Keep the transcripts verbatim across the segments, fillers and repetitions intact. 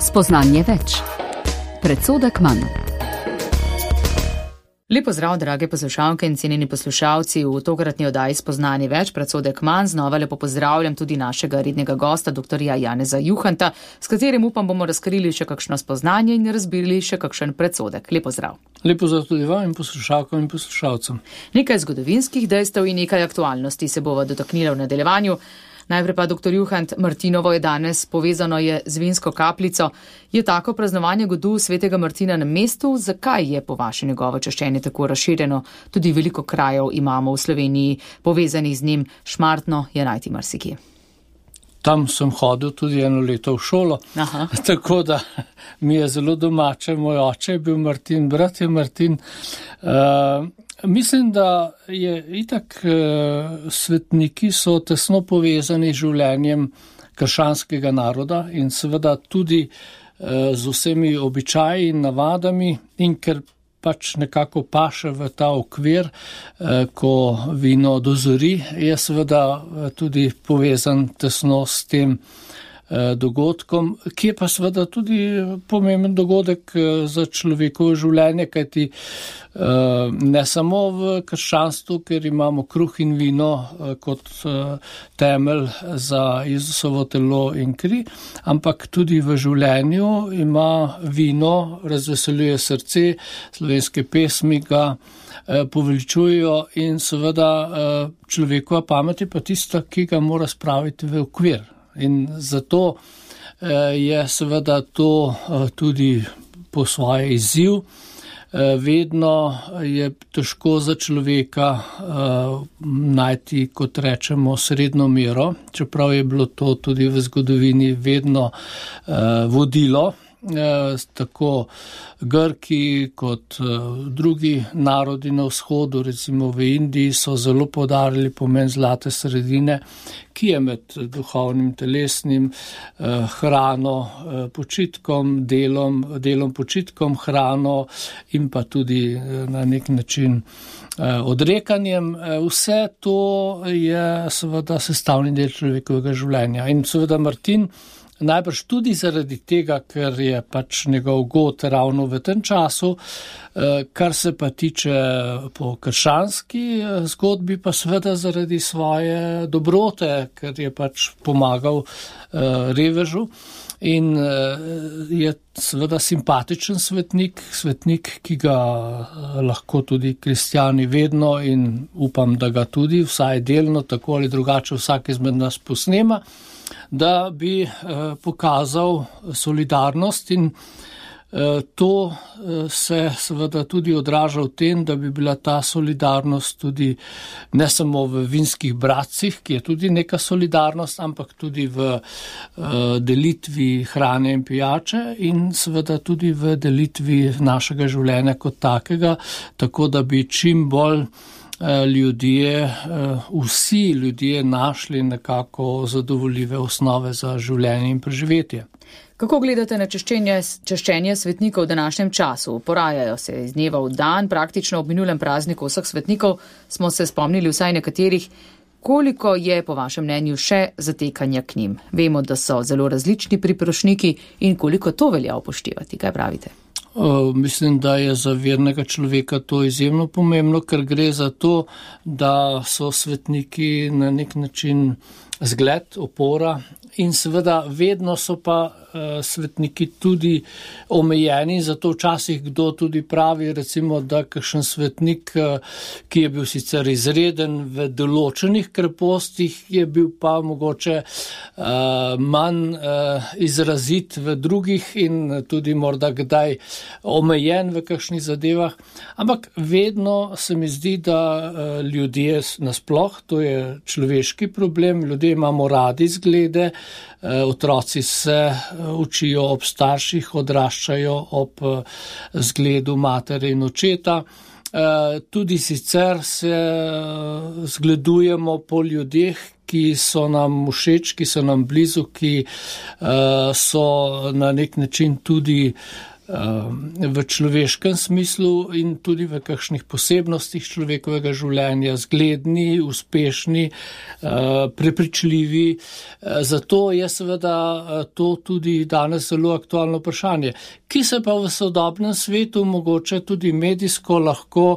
Spoznanje več. Predsodek manj. Lepo zdrav, drage poslušalke in cenjeni poslušalci, v tokratni oddaji Spoznanje več, predsodek manj. Znova lepo pozdravljam tudi našega rednega gosta, doktorja Janeza Juhanta, s katerim upam bomo razkrili še kakšno spoznanje in razbili še kakšen predsodek. Lepo zdrav. Lepo zdrav tudi vam in poslušalkam in poslušalcem. Nekaj zgodovinskih dejstev in nekaj aktualnosti se bova dotaknila v nadaljevanju. Najprej pa, doktor Juhant, Martinovo je danes, povezano je z vinsko kapljico. Je tako praznovanje godu svetega Martina na mestu? Zakaj je po vaše njegovo čaščenje tako razširjeno? Tudi veliko krajev imamo v Sloveniji povezanih z njim, Šmartno je najti marsikje. Tam sem hodil tudi eno leto v šolo, Aha. tako da mi je zelo domače. Moj oče je bil Martin, brat je Martin. Uh, Mislim, da je itak eh, svetniki so tesno povezani z življenjem krščanskega naroda in seveda tudi eh, z vsemi običaji in navadami, in ker pač nekako paše v ta okvir, eh, ko vino dozori, je seveda tudi povezan tesno s tem dogodkom, ki je pa seveda tudi pomemben dogodek za človekovo življenje, kajti ne samo v krščanstvu, ker imamo kruh in vino kot temelj za Jezusovo telo in kri, ampak tudi v življenju ima vino, razveseljuje srce, slovenske pesmi ga poveličujejo in seveda človekova pamet je pa tista, ki ga mora spraviti v okvir. In zato je seveda to tudi po svoje izziv. Vedno je težko za človeka najti, kot rečemo, srednjo mero, čeprav je bilo to tudi v zgodovini vedno vodilo. Tako Grki kot drugi narodi na vzhodu, recimo v Indiji, so zelo poudarili pomen zlate sredine, ki je med duhovnim, telesnim, hrano, počitkom, delom, delom počitkom, hrano in pa tudi na nek način odrekanjem. Vse to je seveda sestavni del človekovega življenja. In seveda Martin najbrž tudi zaradi tega, ker je pač njegov god ravno v tem času, kar se pa tiče po krščanski zgodbi, pa seveda zaradi svoje dobrote, ker je pač pomagal revežu in je seveda simpatičen svetnik, svetnik, ki ga lahko tudi kristjani vedno in upam, da ga tudi vsaj delno, tako ali drugače vsak izmed nas posnema, da bi eh, pokazal solidarnost in eh, to eh, se seveda tudi odraža v tem, da bi bila ta solidarnost tudi ne samo v vinskih bratcih, ki je tudi neka solidarnost, ampak tudi v eh, delitvi hrane in pijače in seveda tudi v delitvi našega življenja kot takega, tako da bi čim bolj ljudje, vsi ljudje našli nekako zadovoljive osnove za življenje in preživetje. Kako gledate na čaščenje, čaščenje svetnikov v današnjem času? Porajajo se iz dneva v dan, praktično ob minulem prazniku vseh svetnikov smo se spomnili vsaj nekaterih. Koliko je po vašem mnenju še zatekanja k njim? Vemo, da so zelo različni priprošniki in koliko to velja upoštevati. Kaj pravite? Mislim, da je za vernega človeka to izjemno pomembno, ker gre za to, da so svetniki na nek način zgled, opora in seveda vedno so pa uh, svetniki tudi omejeni, zato včasih kdo tudi pravi, recimo, da kakšen svetnik, uh, ki je bil sicer izreden v določenih krepostih, je bil pa mogoče uh, manj uh, izrazit v drugih in tudi morda kdaj omejen v kakšnih zadevah, ampak vedno se mi zdi, da uh, ljudje nasploh, to je človeški problem, ljudje imamo radi zglede, otroci se učijo ob starših, odraščajo ob zgledu matere in očeta. Tudi sicer se zgledujemo po ljudeh, ki so nam všeč, ki so nam blizu, ki so na nek način tudi v človeškem smislu in tudi v kakšnih posebnostih človekovega življenja, zgledni, uspešni, prepričljivi. Zato je seveda to tudi danes zelo aktualno vprašanje, ki se pa v sodobnem svetu mogoče tudi medijsko lahko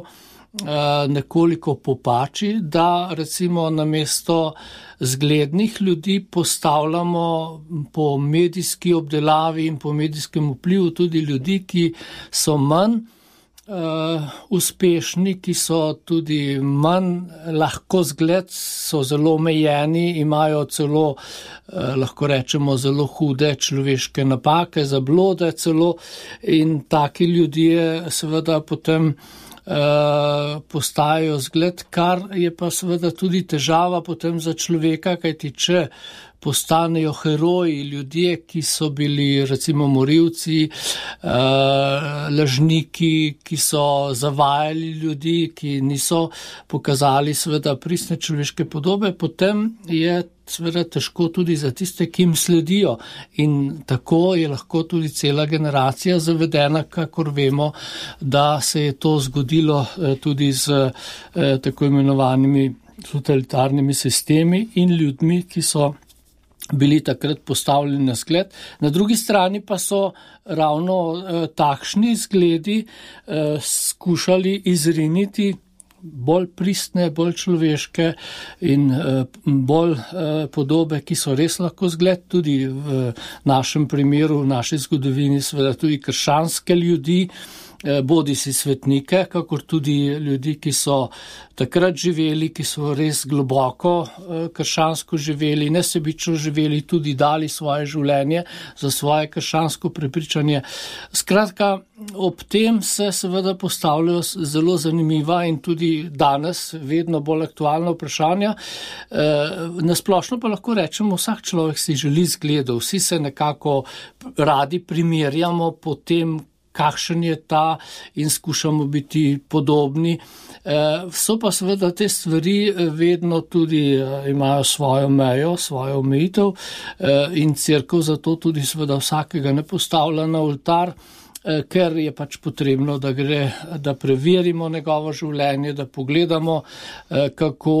nekoliko popači, da recimo namesto zglednih ljudi postavljamo po medijski obdelavi in po medijskem vplivu tudi ljudi, ki so manj uh, uspešni, ki so tudi manj lahko zgled, so zelo omejeni, imajo celo, uh, lahko rečemo, zelo hude človeške napake, zablode celo, in taki ljudje seveda potem Uh, postajajo zgled, kar je pa seveda tudi težava potem za človeka, kajti če postanejo heroji, ljudje, ki so bili recimo morilci, uh, lažniki, ki so zavajali ljudi, ki niso pokazali seveda pristne človeške podobe, potem je seveda težko tudi za tiste, ki jim sledijo, in tako je lahko tudi cela generacija zavedena, kakor vemo, da se je to zgodilo tudi z eh, tako imenovanimi totalitarnimi sistemi in ljudmi, ki so bili takrat postavljeni na zgled. Na drugi strani pa so ravno eh, takšni zgledi eh, skušali izriniti bolj pristne, bolj človeške in bolj podobe, ki so res lahko zgled, tudi v našem primeru, v naši zgodovini, seveda tudi krščanske ljudi, bodi si svetnike, kakor tudi ljudi, ki so takrat živeli, ki so res globoko krščansko živeli, nesebično živeli, tudi dali svoje življenje za svoje krščansko prepričanje. Skratka, ob tem se seveda postavljajo zelo zanimiva in tudi danes vedno bolj aktualna vprašanja. Nasplošno pa lahko rečemo, vsak človek si želi zgledov, vsi se nekako radi primerjamo po tem, kakšen je ta, in skušamo biti podobni. So pa seveda te stvari vedno tudi imajo svojo mejo, svojo omejitev, in cerkev zato tudi seveda vsakega ne postavlja na oltar, ker je pač potrebno, da gre, da preverimo njegovo življenje, da pogledamo, kako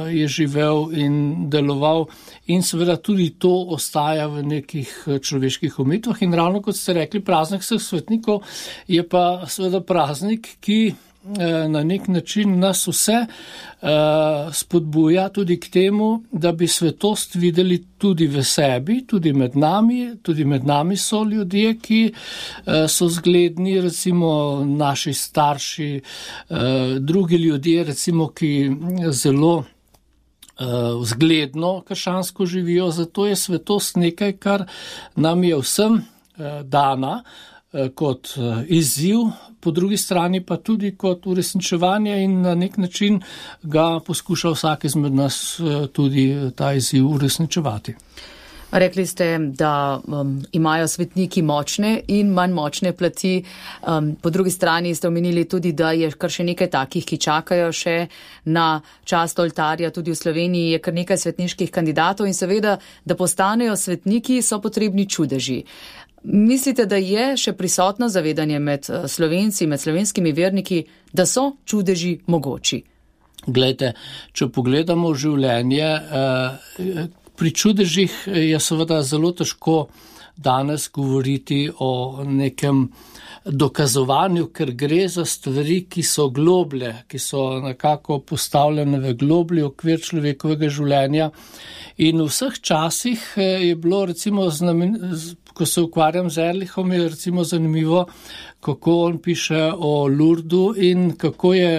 je živel in deloval, in seveda tudi to ostaja v nekih človeških omejitvah. In ravno kot ste rekli, praznik vseh svetnikov je pa seveda praznik, ki na nek način nas vse spodbuja tudi k temu, da bi svetost videli tudi v sebi, tudi med nami. Tudi med nami so ljudje, ki so zgledni, recimo naši starši, drugi ljudje, recimo, ki zelo zgledno krščansko živijo. Zato je svetost nekaj, kar nam je vsem dana kot izziv, po drugi strani pa tudi kot uresničevanje, in na nek način ga poskuša vsak izmed nas tudi ta izziv uresničevati. Rekli ste, da um, imajo svetniki močne in manj močne plati. Um, po drugi strani ste omenili tudi, da je kar še nekaj takih, ki čakajo še na čast oltarja. Tudi v Sloveniji je kar nekaj svetniških kandidatov in seveda, da postanejo svetniki, so potrebni čudeži. Mislite, da je še prisotno zavedanje med Slovenci, med slovenskimi verniki, da so čudeži mogoči? Glejte, če pogledamo življenje, pri čudežih je seveda zelo težko danes govoriti o nekem dokazovanju, ker gre za stvari, ki so globlje, ki so nekako postavljene v globlji okvir človekovega življenja. In v vseh časih je bilo, recimo, znamen, ko se ukvarjam z Ehrlichom, je recimo zanimivo, kako on piše o Lurdu in kako je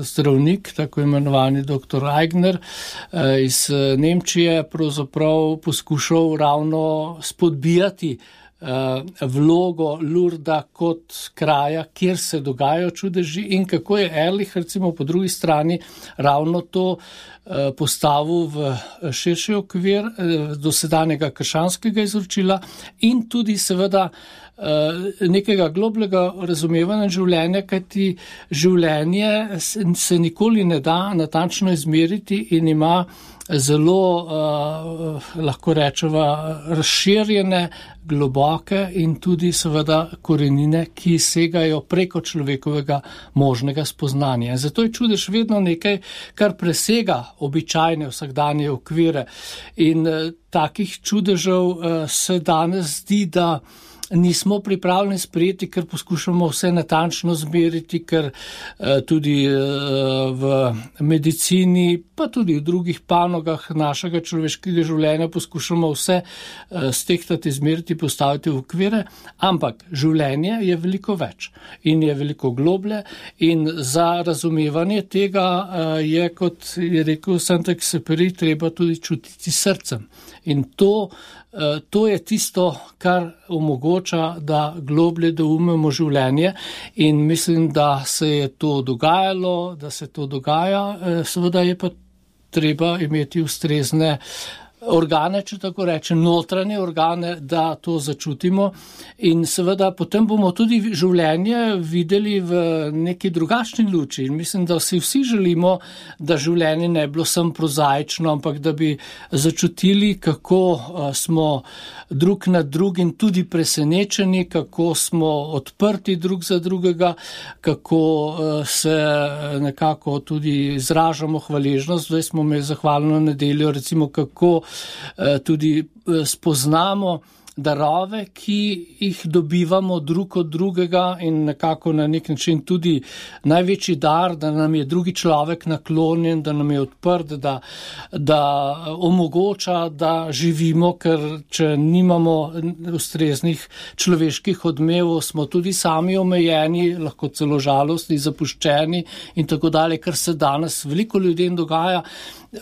zdravnik, tako imenovani doktor Aigner iz Nemčije, pravzaprav poskušal ravno spodbijati vlogo Lurda kot kraja, kjer se dogajajo čudeži, in kako je Ehrlich recimo po drugi strani ravno to postavil v širši okvir dosedanjega krščanskega izročila in tudi seveda nekega globlega razumevanja življenja, kajti življenje se nikoli ne da natančno izmeriti in ima zelo, uh, lahko rečeva, razširjene, globoke in tudi seveda korenine, ki segajo preko človekovega možnega spoznanja. Zato je čudež vedno nekaj, kar presega običajne vsakdanje okvire. In uh, takih čudežev uh, se danes zdi, da nismo pripravljeni sprejeti, ker poskušamo vse natančno zmeriti, ker eh, tudi eh, v medicini, pa tudi v drugih panogah našega človeškega življenja poskušamo vse eh, stehtati, zmeriti, postaviti v okvire, ampak življenje je veliko več in je veliko globlje in za razumevanje tega eh, je, kot je rekel Saint-Exupéry, treba tudi čutiti srcem. In to To je tisto, kar omogoča, da globlje doumemo življenje in mislim, da se je to dogajalo, da se to dogaja, seveda je pa treba imeti ustrezne organe, če tako rečem, notranje organe, da to začutimo in seveda potem bomo tudi življenje videli v neki drugačni luči in mislim, da si vsi želimo, da življenje ne bilo samo prozaično, ampak da bi začutili, kako smo drug nad drugim tudi presenečeni, kako smo odprti drug za drugega, kako se nekako tudi izražamo hvaležnost. Zdaj smo imeli zahvalno nedeljo, recimo kako tudi spoznamo darove, ki jih dobivamo drug od drugega in nekako na nek način tudi največji dar, da nam je drugi človek naklonjen, da nam je odprt, da, da omogoča, da živimo, ker če nimamo ustreznih človeških odmevov, smo tudi sami omejeni, lahko celo žalostni, zapuščeni in tako dalje, kar se danes veliko ljudem dogaja.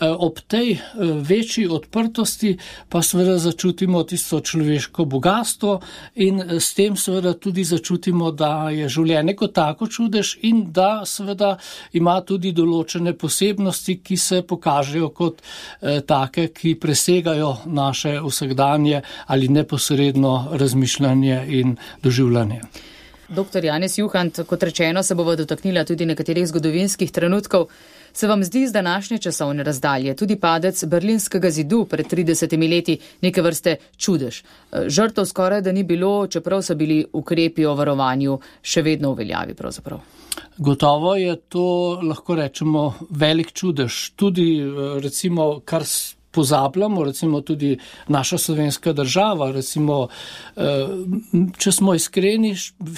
Ob tej večji odprtosti pa seveda začutimo tisto človeško bogatstvo in s tem seveda tudi začutimo, da je življenje kot tako čudež in da seveda ima tudi določene posebnosti, ki se pokažejo kot eh, take, ki presegajo naše vsakdanje ali neposredno razmišljanje in doživljanje. Doktor Janez Juhant, kot rečeno, se bova dotaknila tudi nekaterih zgodovinskih trenutkov. Se vam zdi z današnje časovne razdalje tudi padec Berlinskega zidu pred tridesetimi leti neke vrste čudež? Žrtev skoraj da ni bilo, čeprav so bili ukrepi o varovanju še vedno v veljavi pravzaprav. Gotovo je to, lahko rečemo, velik čudež. Tudi recimo, kar pozabljamo, recimo tudi naša slovenska država, recimo, če smo iskreni,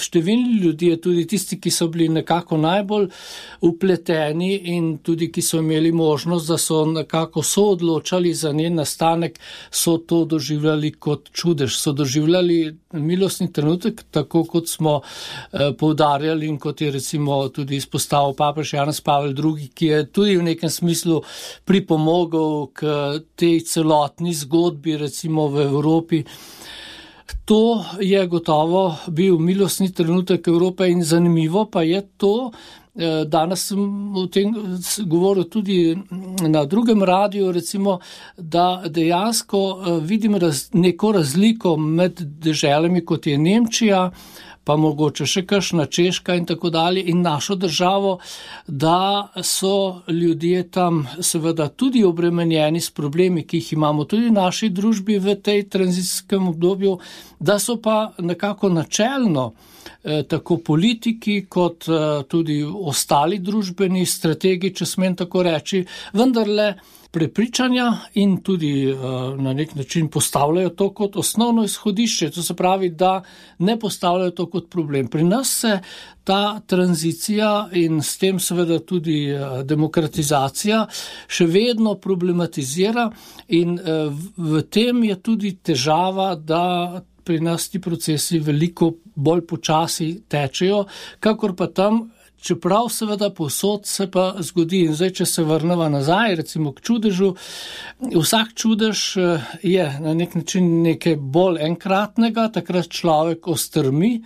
številni ljudje, tudi tisti, ki so bili nekako najbolj upleteni in tudi, ki so imeli možnost, da so nekako soodločali za njen nastanek, so to doživljali kot čudež, so doživljali milostni trenutek, tako kot smo poudarjali in kot je recimo tudi izpostavil papež Janez Pavel drugi, ki je tudi v nekem smislu pripomogel k tej celotni zgodbi, recimo v Evropi. To je gotovo bil milostni trenutek Evrope in zanimivo pa je to, danes sem o tem govoril tudi na drugem radiju, recimo, da dejansko vidim raz, neko razliko med deželami, kot je Nemčija, pa mogoče še kakšna Češka in tako dalje in našo državo, da so ljudje tam seveda tudi obremenjeni s problemi, ki jih imamo tudi v naši družbi v tej tranzicijskem obdobju, da so pa nekako načelno eh, tako politiki kot eh, tudi ostali družbeni strategi, če smem tako reči, vendarle prepričanja in tudi uh, na nek način postavljajo to kot osnovno izhodišče, to se pravi, da ne postavljajo to kot problem. Pri nas se ta tranzicija in s tem seveda tudi uh, demokratizacija še vedno problematizira in uh, v tem je tudi težava, da pri nas ti procesi veliko bolj počasi tečejo, kakor pa tam, čeprav seveda povsod se pa zgodi. In zdaj, če se vrnemo nazaj, recimo k čudežu, vsak čudež je na nek način nekaj bolj enkratnega, takrat človek ostrmi,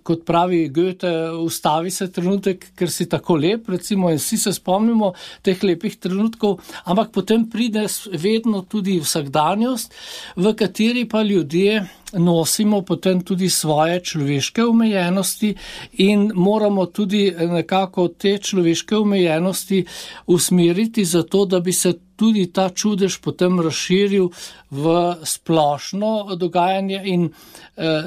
kot pravi Goethe, ustavi se trenutek, ker si tako lep, recimo, in vsi se spomnimo teh lepih trenutkov, ampak potem pride vedno tudi vsakdanjost, v kateri pa ljudje nosimo potem tudi svoje človeške omejenosti in moramo tudi nekako te človeške omejenosti usmeriti za to, da bi se tudi ta čudež potem razširil v splošno dogajanje in e,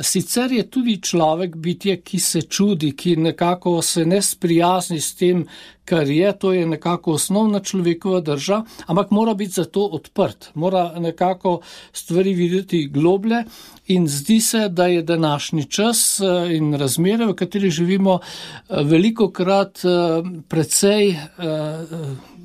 sicer je tudi človek bitje, ki se čudi, ki nekako se ne sprijazni s tem, kar je, to je nekako osnovna človekova drža, ampak mora biti za to odprt, mora nekako stvari videti globlje in zdi se, da je današnji čas in razmere, v kateri živimo, velikokrat precej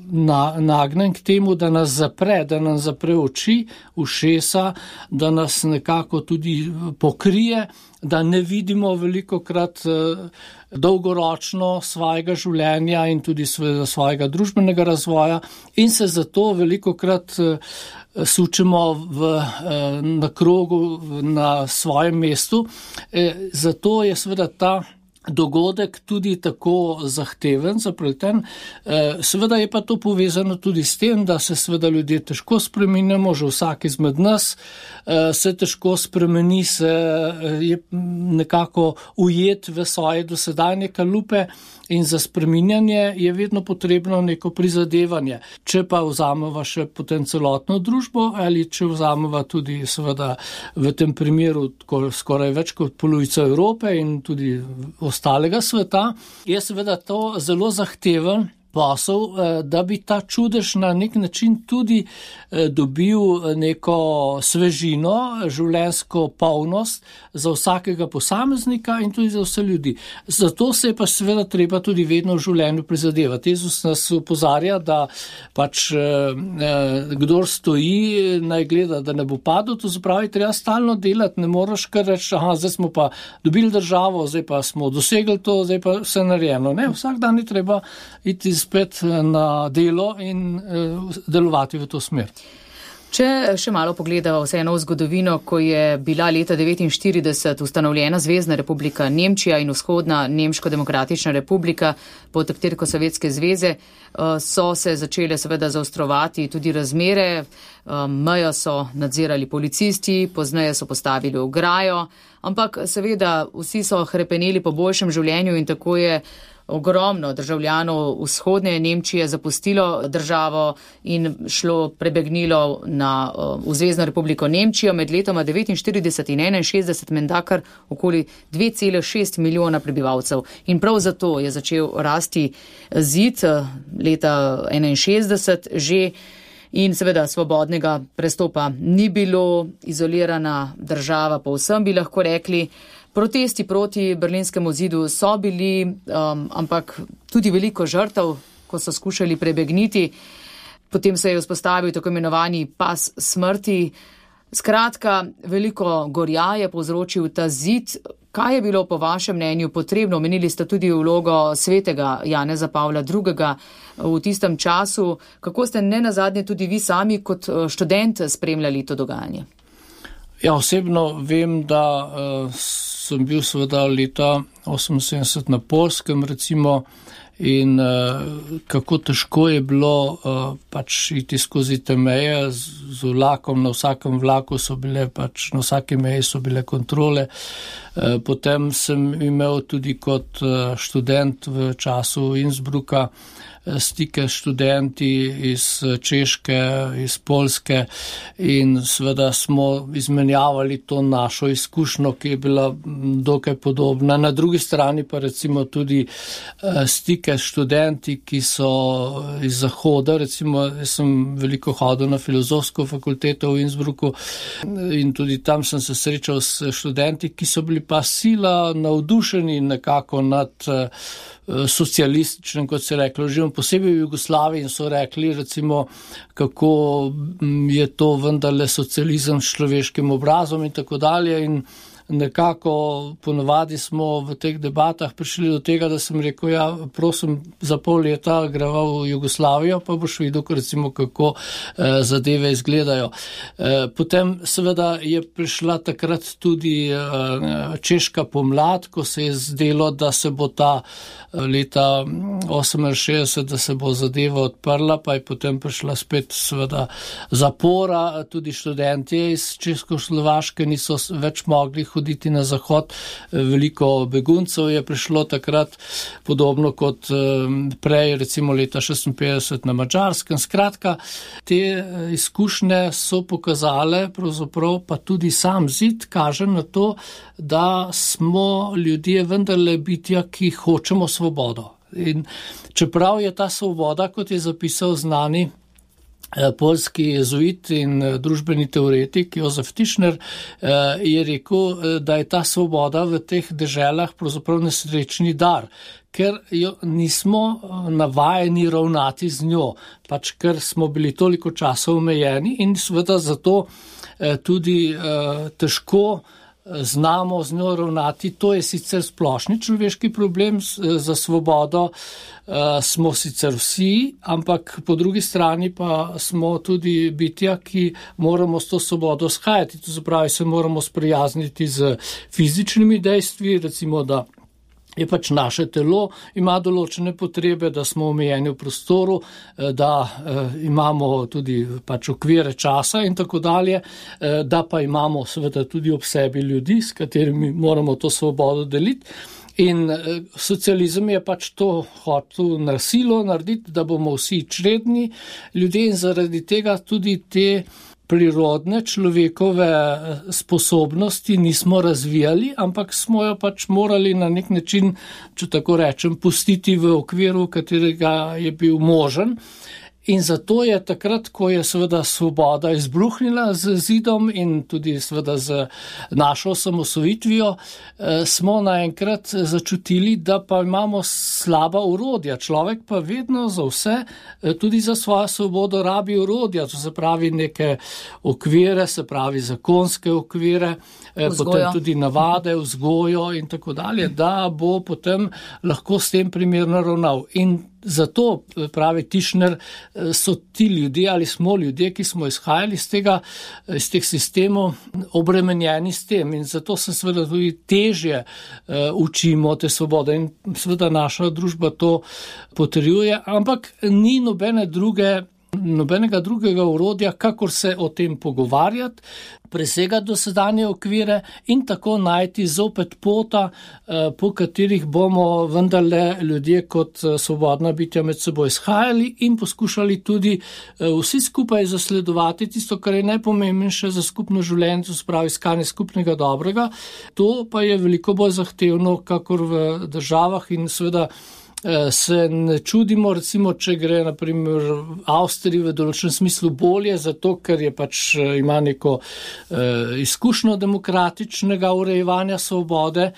Na, nagnen k temu, da nas zapre, da nam zapre oči, ušesa, da nas nekako tudi pokrije, da ne vidimo velikokrat eh, dolgoročno svojega življenja in tudi svojega, svojega družbenega razvoja in se zato velikokrat eh, sučemo v, eh, na krogu, na svojem mestu. Eh, zato je seveda ta dogodek tudi tako zahteven, zapleten. Seveda je pa to povezano tudi s tem, da se seveda ljudje težko spreminjamo, že vsak izmed nas se težko spremeni, se je nekako ujet v svoje dosedanje kalupe in za spreminjanje je vedno potrebno neko prizadevanje. Če pa vzameva še potem celotno družbo ali če vzameva tudi seveda v tem primeru skoraj več kot polovico Evrope in tudi ostalega sveta, je seveda to zelo zahteven posel, da bi ta čudež na nek način tudi dobil neko svežino, življenjsko polnost za vsakega posameznika in tudi za vse ljudi. Zato se je pa seveda treba tudi vedno v življenju prizadevati. Jezus nas opozarja, da pač kdor stoji, naj gleda, da ne bo padel, to zapravi, treba stalno delati, ne moraš kar reči, aha, zdaj smo pa dobili državo, zdaj pa smo dosegli to, zdaj pa vse narejeno. Ne, vsak dan je treba iti spet na delo in delovati v to smer. Če še malo pogledamo vseeno v zgodovino, ko je bila leta devetinštirideset ustanovljena Zvezna republika Nemčija in vzhodna Nemško-demokratična republika pod taktirko Sovjetske zveze, so se začele seveda zaostrovati tudi razmere, mejo so nadzirali policisti, pozneje so postavili ograjo, ampak seveda vsi so hrepeneli po boljšem življenju in tako je ogromno državljanov vzhodne Nemčije zapustilo državo in šlo, prebegnilo na, v Zvezno republiko Nemčijo med letoma devetinštirideset in enainšestdeset, menda kar okoli dve cele šest milijona prebivalcev. In prav zato je začel rasti zid leta enainšestdeset že in seveda svobodnega prestopa ni bilo, izolirana država povsem bi lahko rekli. Protesti proti berlinskemu zidu so bili, um, ampak tudi veliko žrtev, ko so skušali prebegniti. Potem se je vzpostavil tako imenovani pas smrti. Skratka, veliko gorja je povzročil ta zid. Kaj je bilo po vašem mnenju potrebno? Omenili ste tudi vlogo svetega Janeza Pavla drugega v tistem času. Kako ste nenazadnje tudi vi sami kot študent spremljali to dogajanje? Ja, osebno vem, da uh, sem bil seveda leta oseminsedemdeset na Poljskem recimo in uh, kako težko je bilo uh, pač iti skozi te meje z, z vlakom, na vsakem vlaku so bile pač, na vsake meji so bile kontrole. Uh, potem sem imel tudi kot uh, študent v času Innsbrucka stike s študenti iz Češke, iz Poljske in seveda smo izmenjavali to našo izkušnjo, ki je bila dokaj podobna. Na drugi strani pa recimo tudi stike s študenti, ki so iz Zahoda, recimo jaz sem veliko hodil na filozofsko fakulteto v Innsbrucku in tudi tam sem se srečal s študenti, ki so bili pa sila navdušeni nekako nad socialističnem, kot se je reklo, živim posebej v Jugoslaviji in so rekli recimo, kako je to vendarle socializem s človeškim obrazom in tako dalje in nekako ponovadi smo v teh debatah prišli do tega, da sem rekel, ja, prosim, za pol leta greva v Jugoslavijo, pa boš videl, recimo, kako eh, zadeve izgledajo. Eh, potem seveda je prišla takrat tudi eh, češka pomlad, ko se je zdelo, da se bo ta leta oseminšestdeset, da se bo zadeva odprla, pa je potem prišla spet seveda zapora, tudi študentje iz Českoslovaške niso več mogli odhoditi na zahod. Veliko beguncev je prišlo takrat, podobno kot prej, recimo leta šestinpetdeset na Madžarskem. Skratka, te izkušnje so pokazale, pravzaprav pa tudi sam zid kaže na to, da smo ljudje vendarle bitja, ki hočemo svobodo. In čeprav je ta svoboda, kot je zapisal znani poljski jezuit in družbeni teoretik Jozef Tischner, je rekel, da je ta svoboda v teh deželah pravzaprav nesrečni dar, ker jo nismo navajeni ravnati z njo, pač ker smo bili toliko časa omejeni in seveda zato tudi težko znamo z njo ravnati. To je sicer splošni človeški problem, za svobodo smo sicer vsi, ampak po drugi strani pa smo tudi bitja, ki moramo s to svobodo shajati. To zapravi, se moramo sprijazniti z fizičnimi dejstvi, recimo, da je pač naše telo, ima določene potrebe, da smo omejeni v prostoru, da imamo tudi pač okvire časa in tako dalje, da pa imamo seveda tudi ob sebi ljudi, s katerimi moramo to svobodo deliti. In socializem je pač to hotel na silo narediti, da bomo vsi čredni ljudje in zaradi tega tudi te prirodne človekove sposobnosti nismo razvijali, ampak smo jo pač morali na nek način, če tako rečem, pustiti v okviru, katerega je bil možen. In zato je takrat, ko je seveda svoboda izbruhnila z zidom in tudi seveda z našo osamosvojitvijo, smo naenkrat začutili, da pa imamo slaba orodja. Človek pa vedno za vse, tudi za svojo svobodo rabi orodja, to se pravi neke okvire, se pravi zakonske okvire, vzgojo. Potem tudi navade, vzgojo in tako dalje, da bo potem lahko s tem primerno ravnal. In zato, pravi Tischner, so ti ljudje ali smo ljudje, ki smo izhajali iz tega, iz teh sistemov, obremenjeni s tem in zato se seveda tudi težje uh, učimo te svobode in seveda naša družba to potrjuje, ampak ni nobene druge nobenega drugega orodja, kakor se o tem pogovarjati, presegati dosedanje okvire in tako najti zopet pota, po katerih bomo vendarle ljudje kot svobodna bitja med seboj shajali in poskušali tudi vsi skupaj zasledovati tisto, kar je najpomembnejše za skupno življenje, to se pravi iskanje skupnega dobrega. To pa je veliko bolj zahtevno, kakor v državah in seveda se ne čudimo, recimo, če gre naprimer Avstriji v določenem smislu bolje, zato ker je pač ima neko eh, izkušnjo demokratičnega urejevanja svobode.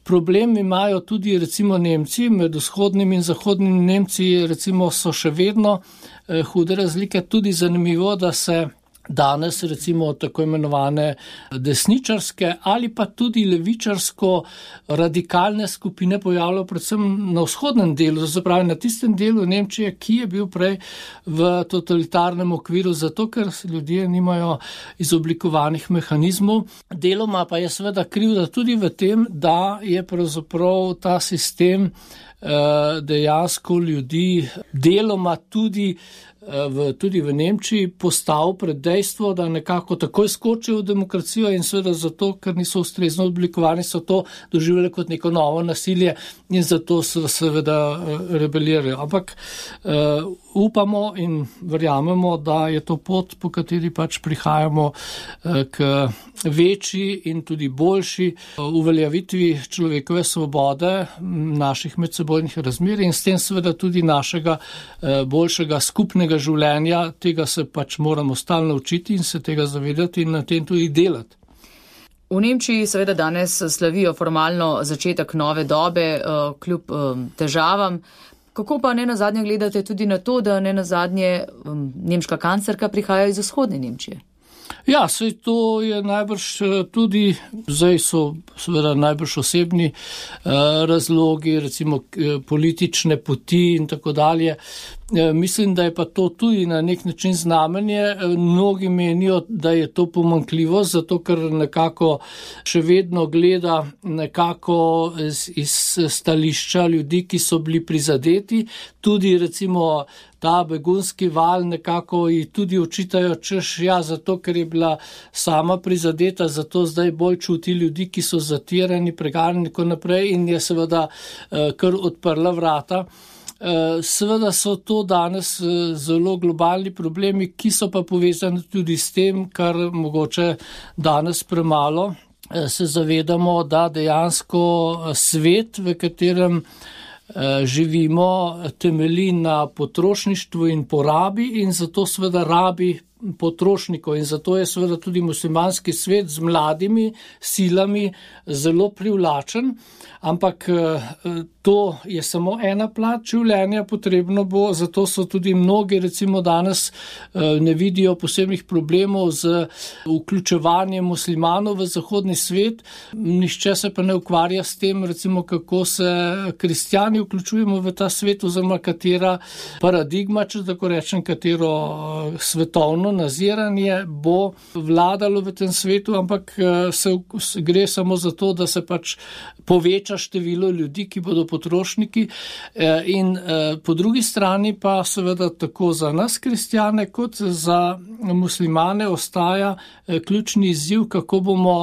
Problem imajo tudi recimo Nemci, med vzhodnimi in zahodnimi Nemci recimo so še vedno eh, hude razlike, tudi zanimivo, da se danes recimo tako imenovane desničarske ali pa tudi levičarsko radikalne skupine pojavljajo predvsem na vzhodnem delu, zapravi na tistem delu Nemčije, ki je bil prej v totalitarnem okviru, zato ker ljudje nimajo izoblikovanih mehanizmov. Deloma pa je seveda krivda tudi v tem, da je pravzaprav ta sistem dejansko ljudi deloma tudi V, tudi v Nemčiji postal pred dejstvo, da nekako takoj skočijo v demokracijo in seveda zato, ker niso ustrezno oblikovani, so to doživljali kot neko novo nasilje in zato so seveda rebelirajo. Ampak uh, upamo in verjamemo, da je to pot, po kateri pač prihajamo uh, k večji in tudi boljši uveljavitvi človekove svobode, naših medsebojnih razmerij in s tem seveda tudi našega uh, boljšega skupnega življenja. Tega se pač moramo stalno učiti in se tega zavedati in na tem tudi delati. V Nemčiji seveda danes slavijo formalno začetek nove dobe, kljub težavam. Kako pa ne nazadnje gledate tudi na to, da ne nazadnje nemška kanclerka prihaja iz vzhodne Nemčije? Ja, sej to je najbrž tudi, zdaj so seveda najbrž osebni eh, razlogi, recimo eh, politične poti in tako dalje. Eh, mislim, da je pa to tudi na nek način znamenje. Eh, mnogi menijo, da je to pomanjkljivo, zato ker nekako še vedno gleda nekako iz, iz stališča ljudi, ki so bili prizadeti, tudi recimo ta begunski val nekako ji tudi očitajo, češ, ja, zato, ker je bila sama prizadeta, zato zdaj bolj čuti ljudi, ki so zatirani, preganjeni in tako naprej in je seveda kar odprla vrata. Seveda so to danes zelo globalni problemi, ki so pa povezani tudi s tem, kar mogoče danes premalo se zavedamo, da dejansko svet, v katerem živimo, temelji na potrošništvu in porabi in zato seveda rabi potrošnikov in zato je seveda tudi muslimanski svet z mladimi silami zelo privlačen, ampak to je samo ena plat življenja, potrebno bo, zato so tudi mnogi recimo danes ne vidijo posebnih problemov z vključevanjem muslimanov v zahodni svet, nihče se pa ne ukvarja s tem, recimo kako se kristjani vključujemo v ta svet oziroma katera paradigma, če tako rečem, katero svetovno naziranje bo vladalo v tem svetu, ampak se gre samo za to, da se pač poveča število ljudi, ki bodo potrošniki in po drugi strani pa seveda tako za nas kristjane kot za muslimane ostaja ključni izziv, kako bomo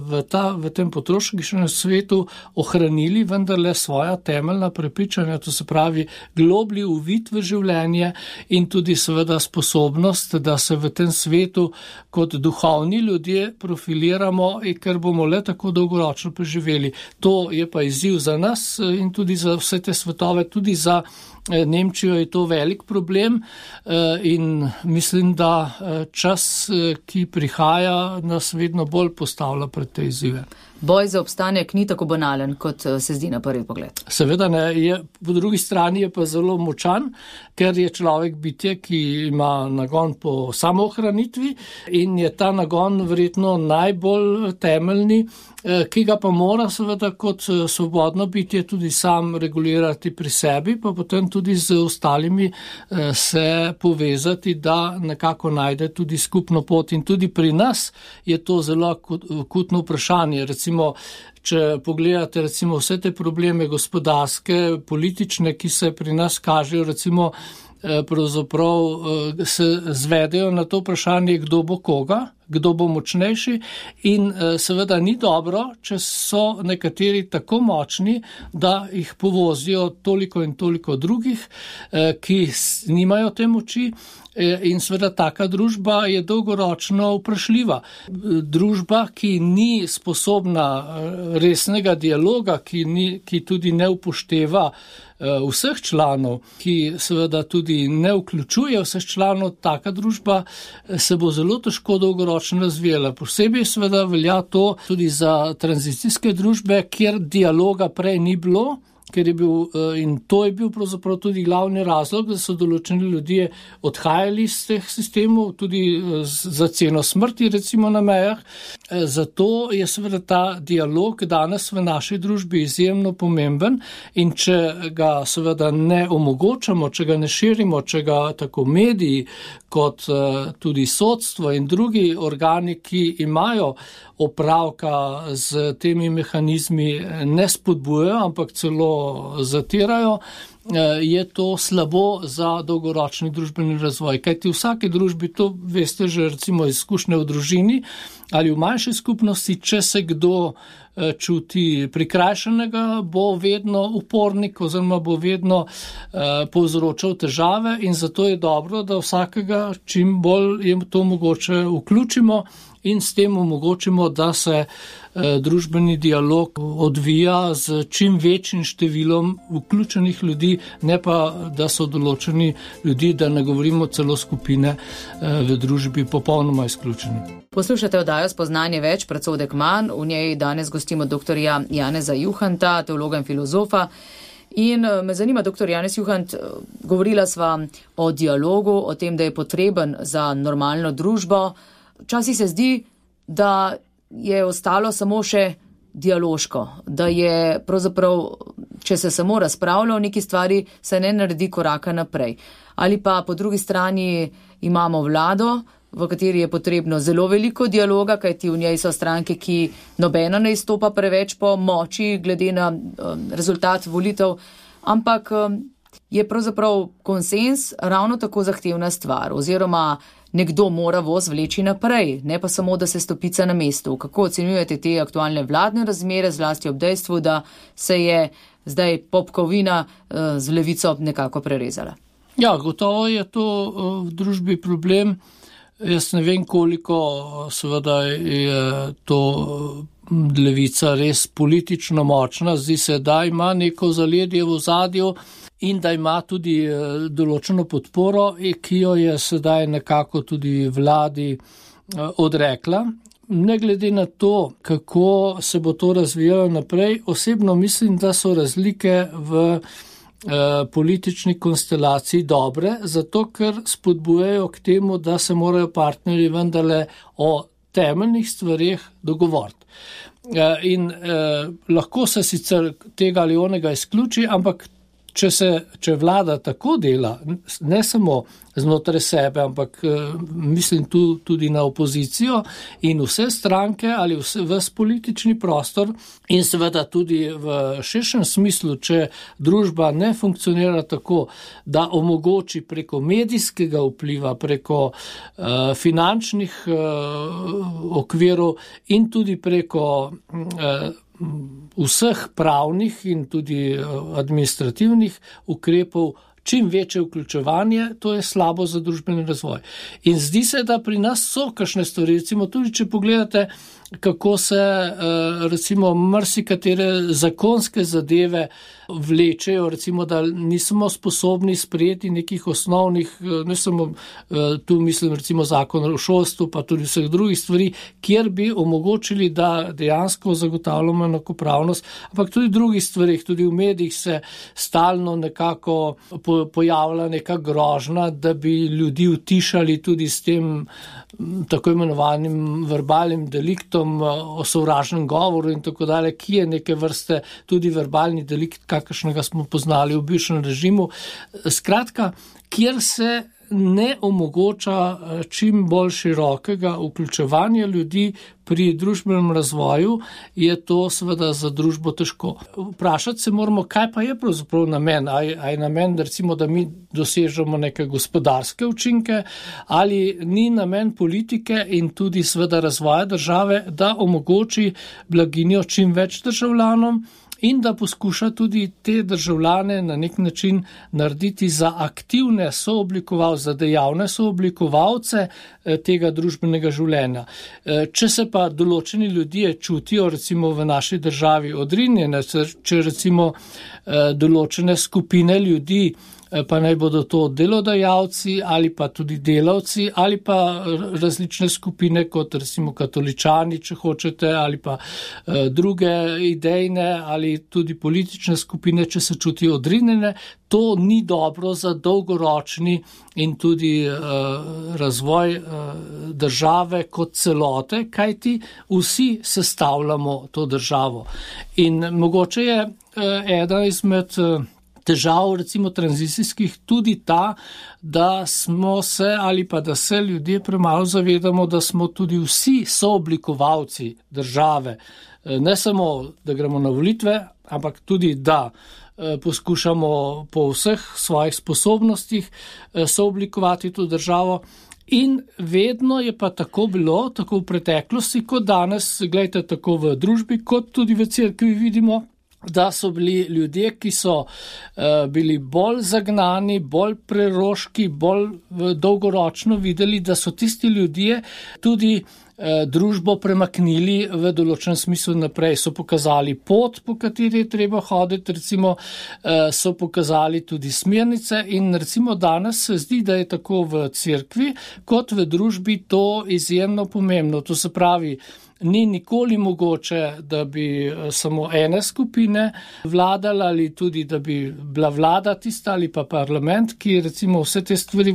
v, ta, v tem potrošniškem svetu ohranili vendarle svoja temeljna prepričanja, to se pravi globlji uvid v življenje in tudi seveda sposobnost, da se v tem svetu kot duhovni ljudje profiliramo in ker bomo le tako dolgoročno preživeli. To je pa izziv za nas in tudi za vse te svetove, tudi za Nemčijo je to velik problem in mislim, da čas, ki prihaja, nas vedno bolj postavlja pred te izzive. Boj za obstanek ni tako banalen, kot se zdi na prvi pogled. Seveda ne, je, po drugi strani je pa zelo močan, ker je človek bitje, ki ima nagon po samoohranitvi in je ta nagon verjetno najbolj temeljni, ki ga pa mora seveda kot svobodno bitje tudi sam regulirati pri sebi, pa potem tudi z ostalimi se povezati, da nekako najde tudi skupno pot. In tudi pri nas je to zelo akutno vprašanje. Recimo, če pogledate recimo vse te probleme gospodarske, politične, ki se pri nas kažejo, recimo pravzaprav se zvedejo na to vprašanje, kdo bo koga, kdo bo močnejši in seveda ni dobro, če so nekateri tako močni, da jih povozijo toliko in toliko drugih, ki nimajo te moči. In seveda taka družba je dolgoročno vprašljiva. Družba, ki ni sposobna resnega dialoga, ki, ni, ki tudi ne upošteva vseh članov, ki seveda tudi ne vključuje vseh članov, taka družba se bo zelo težko dolgoročno razvijala. Posebej seveda velja to tudi za tranzicijske družbe, kjer dialoga prej ni bilo, ker je bil, in to je bil pravzaprav tudi glavni razlog, da so določeni ljudje odhajali iz teh sistemov, tudi za ceno smrti, recimo na mejah. Zato je seveda ta dialog danes v naši družbi izjemno pomemben in če ga seveda ne omogočamo, če ga ne širimo, če ga tako mediji kot tudi sodstvo in drugi organi, ki imajo opravka z temi mehanizmi, ne spodbujajo, ampak celo zatirajo, je to slabo za dolgoročni družbeni razvoj. Kajti v vsaki družbi, to veste že recimo izkušnje v družini ali v manjši skupnosti, če se kdo čuti prikrajšanega, bo vedno upornik oziroma bo vedno povzročal težave in zato je dobro, da vsakega čim bolj je to mogoče vključimo in s tem omogočimo, da se družbeni dialog odvija z čim večjim številom vključenih ljudi, ne pa, da so določeni ljudi, da ne govorimo celo skupine v družbi popolnoma izključeni. Poslušate oddajo Spoznanje več, predsodek manj. V njej danes gostimo doktorja Janeza Juhanta, teologa in filozofa. In me zanima, doktor Janez Juhant, govorila sva o dialogu, o tem, da je potreben za normalno družbo. Včasih se zdi, da je ostalo samo še dialoško, da je pravzaprav, če se samo razpravlja o neki stvari, se ne naredi koraka naprej. Ali pa po drugi strani imamo vlado, v kateri je potrebno zelo veliko dialoga, kajti v njej so stranke, ki nobena ne izstopa preveč po moči glede na um, rezultat volitev, ampak um, je pravzaprav konsens ravno tako zahtevna stvar, oziroma nekdo mora voz vleči naprej, ne pa samo, da se stopica na mestu. Kako ocenjujete te aktualne vladne razmere, zlasti ob dejstvu, da se je zdaj popkovina z levico nekako prerezala? Ja, gotovo je to v družbi problem. Jaz ne vem, koliko seveda je to levica res politično močna. Zdi se, da ima neko zaledje v ozadju in da ima tudi določeno podporo, ki jo je sedaj nekako tudi vladi odrekla. Ne glede na to, kako se bo to razvijalo naprej, osebno mislim, da so razlike v politični konstelaciji dobre, zato ker spodbujajo k temu, da se morajo partnerji vendarle o temeljnih stvareh dogovoriti. In eh, lahko se sicer tega ali onega izključi, ampak če se, če vlada tako dela, ne samo znotraj sebe, ampak mislim tu tudi na opozicijo in vse stranke ali vse, ves politični prostor in seveda tudi v širšem smislu, če družba ne funkcionira tako, da omogoči preko medijskega vpliva, preko uh, finančnih uh, okvirov in tudi preko uh, vseh pravnih in tudi administrativnih ukrepov čim večje vključevanje, to je slabo za družbeni razvoj. In zdi se, da pri nas so kakšne stvari, recimo tudi, če pogledate, kako se recimo marsikatere zakonske zadeve vlečejo, recimo, da nismo sposobni sprejeti nekih osnovnih, ne samo tu mislim recimo zakon o šolstvu, pa tudi vseh drugih stvari, kjer bi omogočili, da dejansko zagotavljamo enakopravnost, ampak tudi drugih stvarih, tudi v medijih se stalno nekako pojavlja neka grožnja, da bi ljudi utišali tudi s tem tako imenovanim verbalnim deliktom, o sovražnem govoru in tako dalje, ki je neke vrste tudi verbalni delikt, kakršnega smo poznali v bivšem režimu. Skratka, kjer se ne omogoča čim bolj širokega vključevanja ljudi pri družbenem razvoju, je to seveda za družbo težko. Vprašati se moramo, kaj pa je pravzaprav namen, a je, a je namen, recimo, da mi dosežemo neke gospodarske učinke, ali ni namen politike in tudi seveda razvoja države, da omogoči blaginjo čim več državljanom, in da poskuša tudi te državljane na nek način narediti za aktivne sooblikovalce, za dejavne sooblikovalce tega družbenega življenja. Če se pa določeni ljudje čutijo recimo v naši državi odrinjene, če recimo določene skupine ljudi, pa naj bodo to delodajalci ali pa tudi delavci ali pa različne skupine kot recimo katoličani, če hočete, ali pa druge idejne ali tudi politične skupine, če se čutijo odrinjene, to ni dobro za dolgoročni in tudi uh, razvoj uh, države kot celote, kajti vsi sestavljamo to državo. In mogoče je uh, ena izmed uh, težav, recimo tranzicijskih, tudi ta, da smo se ali pa da se ljudje premalo zavedamo, da smo tudi vsi sooblikovalci države. Ne samo, da gremo na volitve, ampak tudi, da poskušamo po vseh svojih sposobnostih sooblikovati to državo. In vedno je pa tako bilo, tako v preteklosti, kot danes, gledajte, tako v družbi, kot tudi v cerkvi vidimo, da so bili ljudje, ki so uh, bili bolj zagnani, bolj preroški, bolj uh, dolgoročno videli, da so tisti ljudje tudi uh, družbo premaknili v določen smislu naprej. So pokazali pot, po kateri je treba hoditi, recimo uh, so pokazali tudi smernice in recimo danes se zdi, da je tako v cerkvi kot v družbi to izjemno pomembno. To se pravi, ni nikoli mogoče, da bi samo ene skupine vladala ali tudi, da bi bila vlada tista ali pa parlament, ki recimo vse te stvari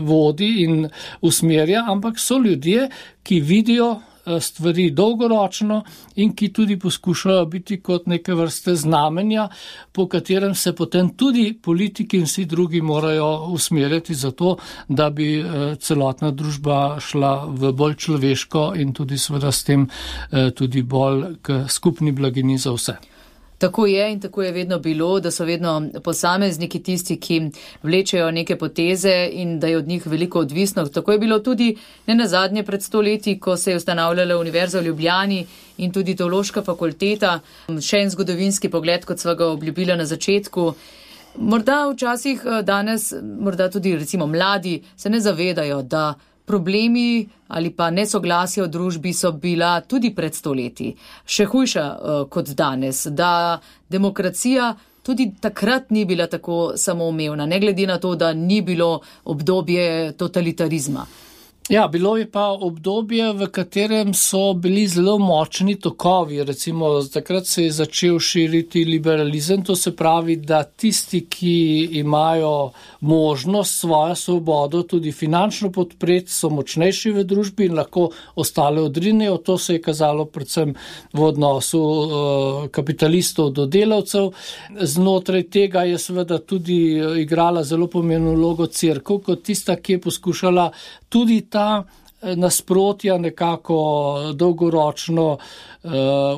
vodi in usmerja, ampak so ljudje, ki vidijo stvari dolgoročno in ki tudi poskušajo biti kot neke vrste znamenja, po katerem se potem tudi politiki in vsi drugi morajo usmerjati za to, da bi celotna družba šla v bolj človeško in tudi seveda s tem tudi bolj k skupni blagini za vse. Tako je in tako je vedno bilo, da so vedno posamezniki tisti, ki vlečejo neke poteze in da je od njih veliko odvisno. Tako je bilo tudi ne nazadnje pred sto leti, ko se je ustanavljala Univerza v Ljubljani in tudi Teološka fakulteta. Še en zgodovinski pogled, kot sva ga obljubila na začetku. Morda včasih danes, morda tudi recimo mladi, se ne zavedajo, da problemi ali pa nesoglasja v družbi so bila tudi pred stoletji, še hujša uh, kot danes, da demokracija tudi takrat ni bila tako samoumevna, ne glede na to, da ni bilo obdobje totalitarizma. Ja, bilo je pa obdobje, v katerem so bili zelo močni tokovi. Recimo, takrat se je začel širiti liberalizem, to se pravi, da tisti, ki imajo možnost svojo svobodo tudi finančno podpreti, so močnejši v družbi in lahko ostale odrinejo. To se je kazalo predvsem v odnosu uh, kapitalistov do delavcev. Znotraj tega je seveda tudi igrala zelo pomembno vlogo cerkev, kot tista, ki je poskušala tudi ta nasprotja nekako dolgoročno uh,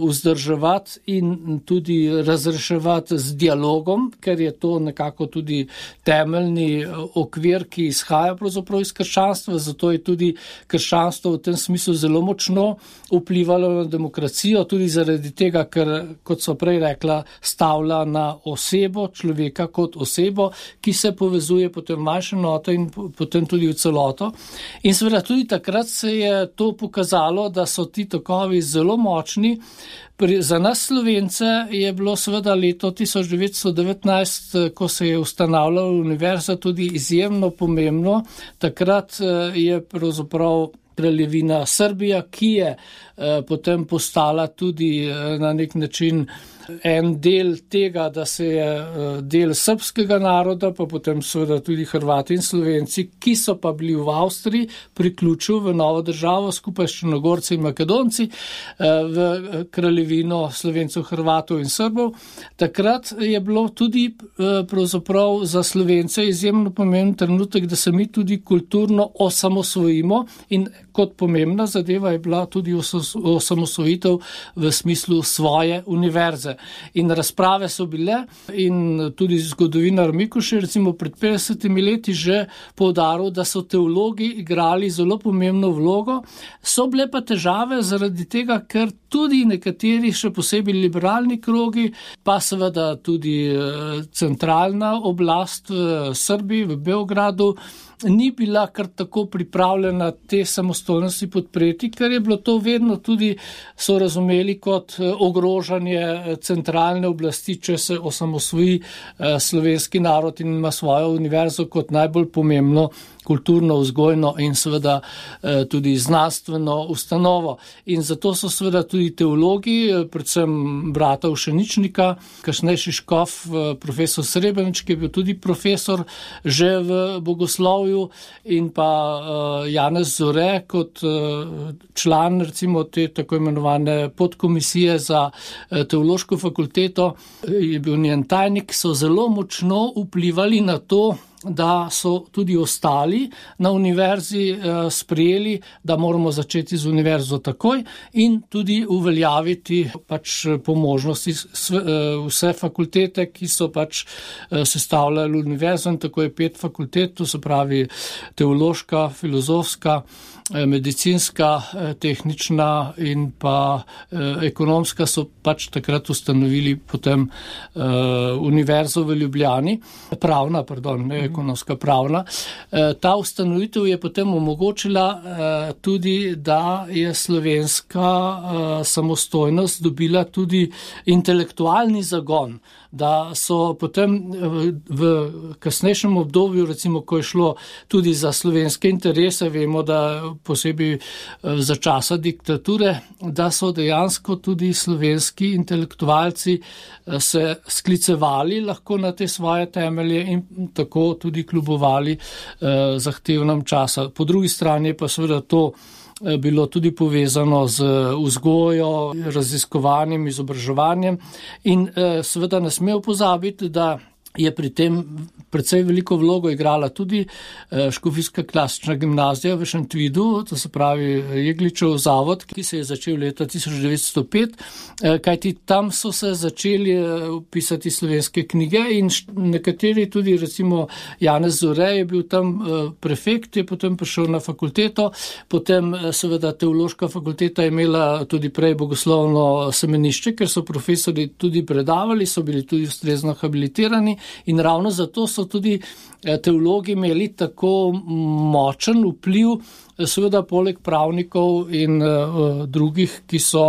vzdrževati in tudi razreševati z dialogom, ker je to nekako tudi temeljni okvir, ki izhaja pravzaprav iz krščanstva, zato je tudi krščanstvo v tem smislu zelo močno vplivalo na demokracijo, tudi zaradi tega, ker, kot so prej rekla, stavlja na osebo, človeka kot osebo, ki se povezuje potem v manjše enote in potem tudi v celoto. In seveda tudi takrat Takrat se je to pokazalo, da so ti tokovi zelo močni. Pri, za nas Slovence je bilo seveda leto tisoč devetsto devetnajst, ko se je ustanavljala univerza, tudi izjemno pomembno. Takrat je pravzaprav kraljevina Srbija, ki je eh, potem postala tudi eh, na nek način en del tega, da se je del srbskega naroda, pa potem seveda tudi Hrvati in Slovenci, ki so pa bili v Avstriji, priključil v novo državo skupaj s Črnogorci in Makedonci v kraljevino Slovencev, Hrvatov in Srbov. Takrat je bilo tudi pravzaprav za Slovence izjemno pomemben trenutek, da se mi tudi kulturno osamosvojimo in kot pomembna zadeva je bila tudi osamosvojitev v smislu svoje univerze. In razprave so bile in tudi zgodovinar Mikuš je recimo pred petdesetimi leti že poudaril, da so teologi igrali zelo pomembno vlogo. So bile pa težave zaradi tega, ker tudi nekateri, še posebej liberalni krogi, pa seveda tudi centralna oblast v Srbiji, v Beogradu, ni bila kar tako pripravljena te samostojnosti podpreti, ker je bilo to vedno tudi so razumeli kot ogrožanje centralne oblasti, če se osamosvoji slovenski narod in ima svojo univerzo kot najbolj pomembno kulturno, vzgojno in seveda tudi znanstveno ustanovo. In zato so seveda tudi teologi, predvsem brata Ušeničnika, kasnejši škof, profesor Srebrenič, ki je bil tudi profesor že v bogoslovju, in pa Janez Zore kot član recimo te tako imenovane podkomisije za teološko fakulteto, je bil njen tajnik, so zelo močno vplivali na to, da so tudi ostali na univerzi eh, sprejeli, da moramo začeti z univerzo takoj in tudi uveljaviti pač po možnosti vse fakultete, ki so pač eh, sestavljali univerzo, in tako je pet fakultet, to se pravi teološka, filozofska, medicinska, tehnična in pa ekonomska, so pač takrat ustanovili potem univerzo v Ljubljani, pravna, pardon, ne ekonomska, pravna. Ta ustanovitev je potem omogočila tudi, da je slovenska samostojnost dobila tudi intelektualni zagon, da so potem v kasnejšem obdobju, recimo, ko je šlo tudi za slovenske interese, vemo, da posebej za časa diktature, da so dejansko tudi slovenski intelektualci se sklicevali lahko na te svoje temelje in tako tudi kljubovali zahtevnem časa. Po drugi strani pa seveda to bilo tudi povezano z vzgojo, raziskovanjem, izobraževanjem in seveda ne smemo pozabiti, da je pri tem precej veliko vlogo igrala tudi Škofijska klasična gimnazija v Šentvidu, to se pravi Jegličev zavod, ki se je začel leta tisoč devetsto pet, kajti tam so se začeli pisati slovenske knjige in nekateri tudi, recimo Janez Zore je bil tam prefekt, je potem prišel na fakulteto, potem seveda teološka fakulteta je imela tudi prej bogoslovno semenišče, ker so profesori tudi predavali, so bili tudi ustrezno habilitirani. In ravno zato so tudi teologi imeli tako močen vpliv, seveda poleg pravnikov in uh, drugih, ki so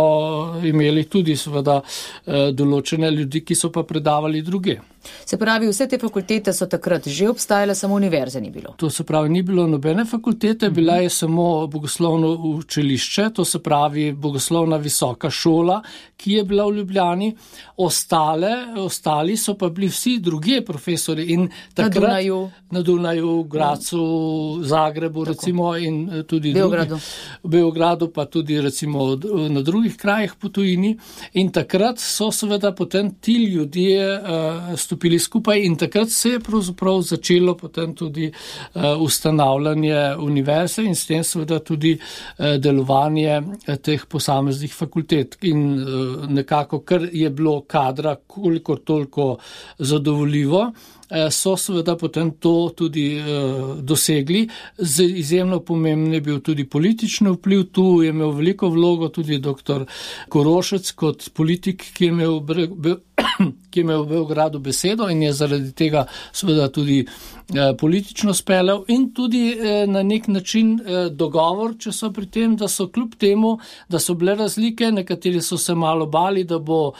imeli tudi seveda uh, določene ljudi, ki so pa predavali druge. Se pravi, vse te fakultete so takrat že obstajale, samo univerze ni bilo. To se pravi, ni bilo nobene fakultete, mm-hmm. bila je samo bogoslovno učilišče, to se pravi bogoslovna visoka šola, ki je bila v Ljubljani. Ostale, ostali so pa bili vsi drugi profesori in takrat na Dunaju, na Dunaju, Gracu, Zagrebu, tako. Recimo in tudi Beogradu. Drugi, v Beogradu, pa tudi recimo na drugih krajih po tujini. In takrat so seveda potem ti ljudje uh, stopili skupaj in takrat se je pravzaprav začelo potem tudi uh, ustanavljanje univerze in s tem seveda tudi uh, delovanje uh, teh posameznih fakultet. In uh, nekako, kar je bilo kadra kolikor toliko zadovoljivo, so seveda potem to tudi uh, dosegli. Z izjemno pomemben je bil tudi politični vpliv, tu je imel veliko vlogo tudi doktor Korošec kot politik, ki je imel, be, ki je imel v Beogradu besedo in je zaradi tega seveda tudi uh, politično speljal in tudi uh, na nek način uh, dogovor, če so pri tem, da so kljub temu, da so bile razlike, nekateri so se malo bali, da bo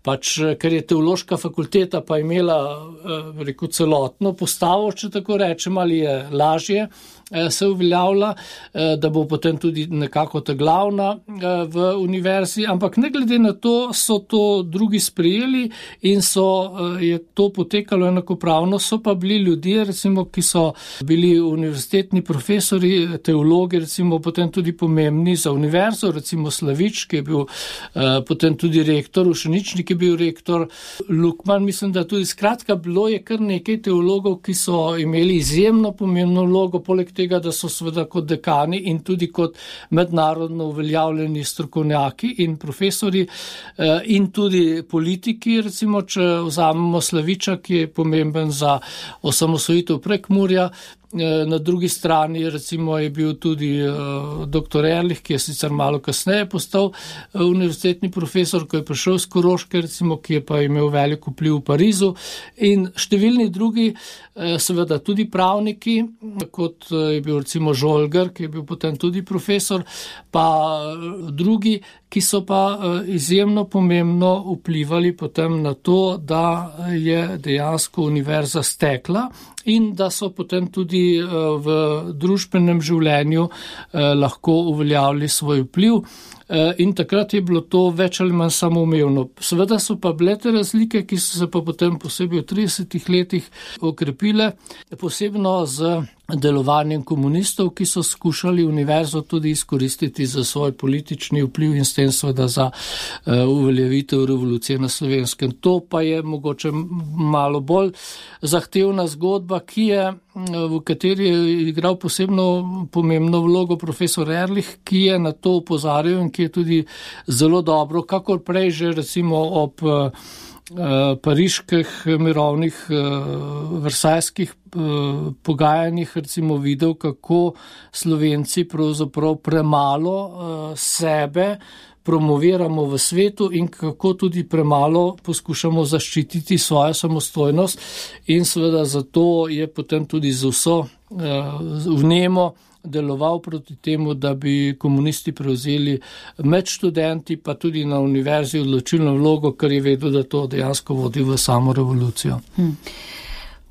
pač, ker je teološka fakulteta pa imela uh, rekel, celotno postavo, če tako rečem, ali je lažje se uveljavlja, da bo potem tudi nekako ta glavna v univerzi, ampak ne glede na to so to drugi sprejeli in so, je to potekalo enakopravno, so pa bili ljudje, recimo, ki so bili univerzitetni profesori, teologi, recimo, potem tudi pomembni za univerzo, recimo Slavič, ki je bil potem tudi rektor, Ušeničnik je bil rektor, Lukman, mislim, da tudi skratka bilo je kar nekaj teologov, ki so imeli izjemno pomembno vlogo, poleg tega, da so seveda kot dekani in tudi kot mednarodno uveljavljeni strokovnjaki in profesori in tudi politiki, recimo, če vzamemo Slaviča, ki je pomemben za osamosvojitev Prekmurja. Na drugi strani recimo je bil tudi uh, doktor Erlich, ki je sicer malo kasneje postal uh, univerzitetni profesor, ko je prišel z Koroške, recimo, ki je pa imel veliko vpliv v Parizu in številni drugi, uh, seveda tudi pravniki, kot uh, je bil recimo Žolgar, ki je bil potem tudi profesor, pa uh, drugi, ki so pa uh, izjemno pomembno vplivali potem na to, da je dejansko univerza stekla in da so potem tudi v družbenem življenju lahko uveljavili svoj vpliv. In takrat je bilo to več ali manj samoumevno. Seveda so pa bile te razlike, ki so se pa potem posebej v tridesetih letih okrepile, posebno z delovanjem komunistov, ki so skušali univerzo tudi izkoristiti za svoj politični vpliv in s tem seveda za uh, uveljavitev revolucije na Slovenskem. To pa je mogoče malo bolj zahtevna zgodba, ki je, v kateri je igral posebno pomembno vlogo profesor Erlich, ki je na to opozarjal in ki je tudi zelo dobro, kakor prej že recimo ob uh, pariških mirovnih versajskih pogajanjih recimo videl, kako Slovenci pravzaprav premalo sebe promoviramo v svetu in kako tudi premalo poskušamo zaščititi svojo samostojnost in seveda zato je potem tudi z vso vnemo deloval proti temu, da bi komunisti prevzeli med študenti, pa tudi na univerzi odločilno vlogo, ker je vedel, da to dejansko vodi v samo revolucijo. Hmm.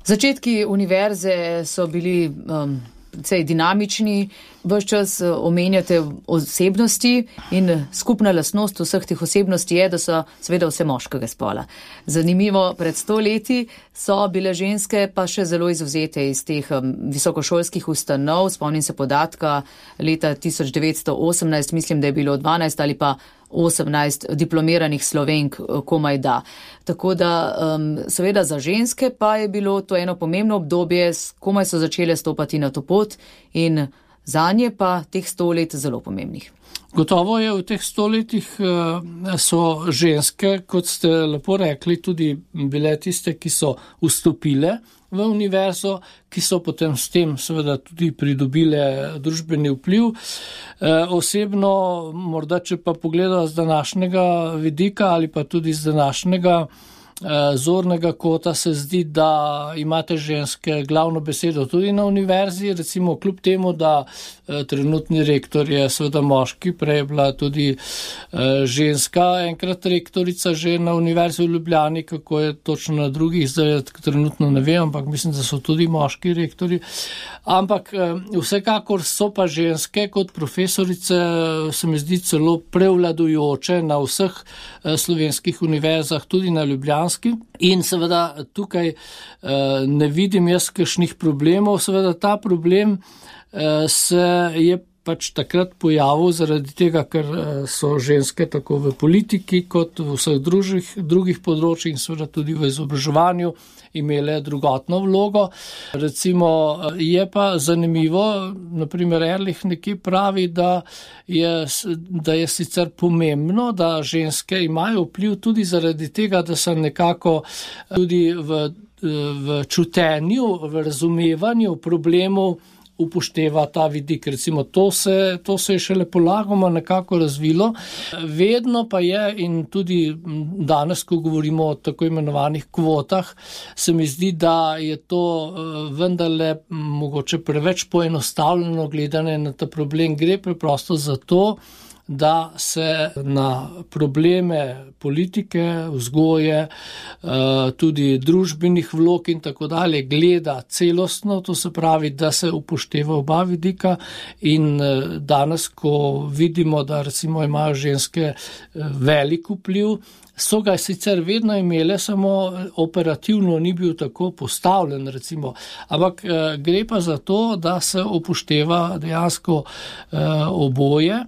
Začetki univerze so bili um, precej dinamični, Ves čas omenjate osebnosti in skupna lastnost vseh teh osebnosti je, da so seveda vse moškega spola. Zanimivo, pred sto leti so bile ženske pa še zelo izvzete iz teh visokošolskih ustanov. Spomnim se podatka leta tisoč devetsto osemnajst, mislim, da je bilo dvanajst ali pa osemnajst diplomiranih Slovenk komaj da. Tako da um, seveda za ženske pa je bilo to eno pomembno obdobje, komaj so začele stopati na to pot in zanje pa teh sto let zelo pomembnih. Gotovo je v teh stoletjih so ženske, kot ste lepo rekli, tudi bile tiste, ki so vstopile v univerzo, ki so potem s tem seveda tudi pridobile družbeni vpliv. Osebno, morda če pa pogledamo z današnjega vidika ali pa tudi z današnjega zornega kota, se zdi, da imate ženske glavno besedo tudi na univerzi, recimo kljub temu, da trenutni rektor je seveda moški, prej je bila tudi ženska, enkrat rektorica že na univerzi v Ljubljani, kako je točno na drugih, zdaj trenutno ne vem, ampak mislim, da so tudi moški rektori. Ampak vsekakor so pa ženske kot profesorice, se mi zdi celo prevladujoče na vseh slovenskih univerzah, tudi na Ljubljani. In seveda tukaj ne vidim jaz kakšnih problemov, seveda ta problem se je pač takrat pojavil zaradi tega, ker so ženske tako v politiki kot v vseh drugih, drugih področjih in seveda tudi v izobraževanju imele drugotno vlogo. Recimo je pa zanimivo, naprimer Erlich nekje pravi, da je, da je sicer pomembno, da ženske imajo vpliv tudi zaradi tega, da se nekako tudi v, v čutenju, v razumevanju problemov upošteva ta vidik. Recimo to se, to se je šele polagoma nekako razvilo. Vedno pa je, in tudi danes, ko govorimo o tako imenovanih kvotah, se mi zdi, da je to vendarle mogoče preveč poenostavljeno gledanje na ta problem. Gre preprosto za to, da se na probleme politike, vzgoje, tudi družbenih vlog in tako dalje gleda celostno, to se pravi, da se upošteva oba vidika in danes, ko vidimo, da recimo imajo ženske velik vpliv, so ga sicer vedno imele, samo operativno ni bil tako postavljen, recimo. Ampak gre pa za to, da se upošteva dejansko oboje,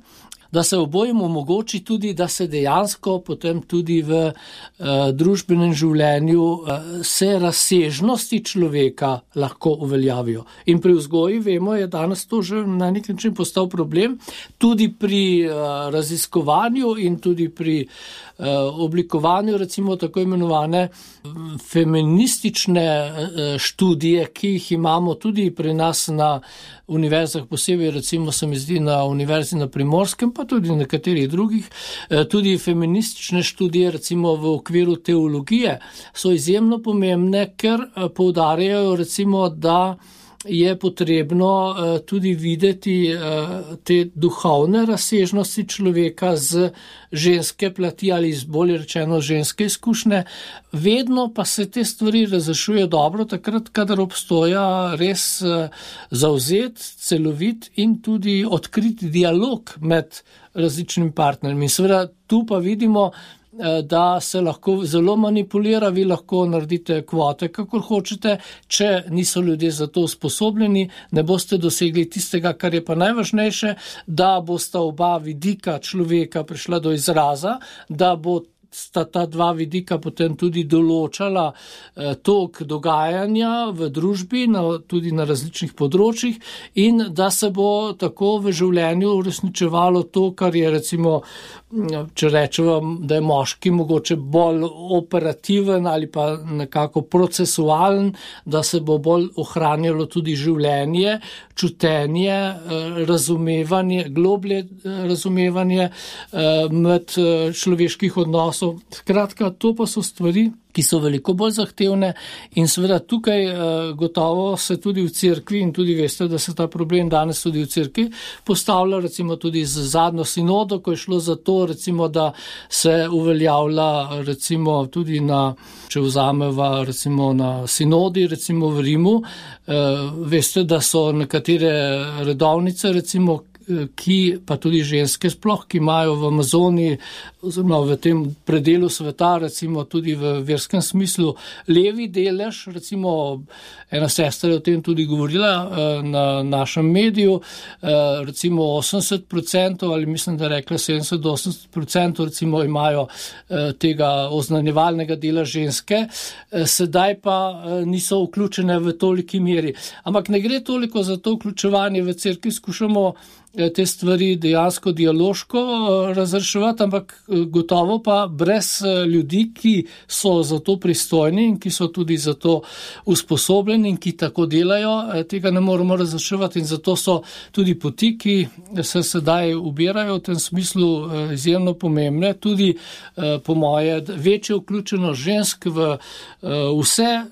da se obojim omogoči tudi, da se dejansko potem tudi v uh, družbenem življenju uh, se razsežnosti človeka lahko uveljavijo. In pri vzgoji, vemo, je danes to že na nek način postal problem, tudi pri uh, raziskovanju in tudi pri uh, oblikovanju recimo tako imenovane feministične uh, študije, ki jih imamo tudi pri nas na univerzah, posebej recimo se mi zdi na univerzi na Primorskem, pa tudi na nekaterih drugih, tudi feministične študije, recimo v okviru teologije, so izjemno pomembne, ker poudarjajo recimo, da je potrebno tudi videti te duhovne razsežnosti človeka z ženske plati ali z bolje rečeno ženske izkušnje. Vedno pa se te stvari razrešuje dobro takrat, kadar obstoja res zavzet, celovit in tudi odkrit dialog med različnimi partnerji. In seveda tu pa vidimo, da se lahko zelo manipulira, vi lahko naredite kvote, kakor hočete, če niso ljudje za to usposobljeni, ne boste dosegli tistega, kar je pa najvažnejše, da bosta oba vidika človeka prišla do izraza, da bo sta ta dva vidika potem tudi določala eh, tok dogajanja v družbi, na, tudi na različnih področjih in da se bo tako v življenju uresničevalo to, kar je recimo, če rečemo, da je moški mogoče bolj operativen ali pa nekako procesualen, da se bo bolj ohranjalo tudi življenje, čutenje, razumevanje, globlje razumevanje med človeških odnosov odnosov. Skratka, to pa so stvari, ki so veliko bolj zahtevne in seveda tukaj eh, gotovo se tudi v cerkvi in tudi veste, da se ta problem danes tudi v cerkvi postavlja, recimo tudi z zadnjo sinodo, ko je šlo za to, recimo, da se uveljavlja recimo tudi na, če vzameva recimo na sinodi, recimo v Rimu, eh, veste, da so nekatere redovnice, recimo, ki pa tudi ženske sploh, ki imajo v Amazoniji oziroma v tem predelu sveta, recimo tudi v verskem smislu, levi delež, recimo ena sestra je o tem tudi govorila na našem mediju, recimo osemdeset procentov ali mislim, da rekla sedemdeset do osemdeset procentov recimo imajo tega oznanjevalnega dela ženske, sedaj pa niso vključene v toliki meri. Ampak ne gre toliko za to vključevanje v cerkvi, skušamo te stvari dejansko dialoško razreševati, ampak gotovo pa brez ljudi, ki so za to pristojni in ki so tudi za to usposobljeni in ki tako delajo, tega ne moremo razreševati in zato so tudi poti, ki se sedaj ubirajo v tem smislu izjemno pomembne, tudi po moje večje vključenost žensk v vse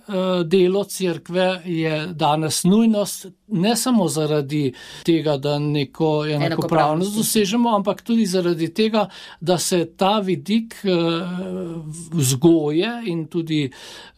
delo cerkve je danes nujnost, ne samo zaradi tega, da neko enakopravnost dosežemo, ampak tudi zaradi tega, da se ta vidik vzgoje in tudi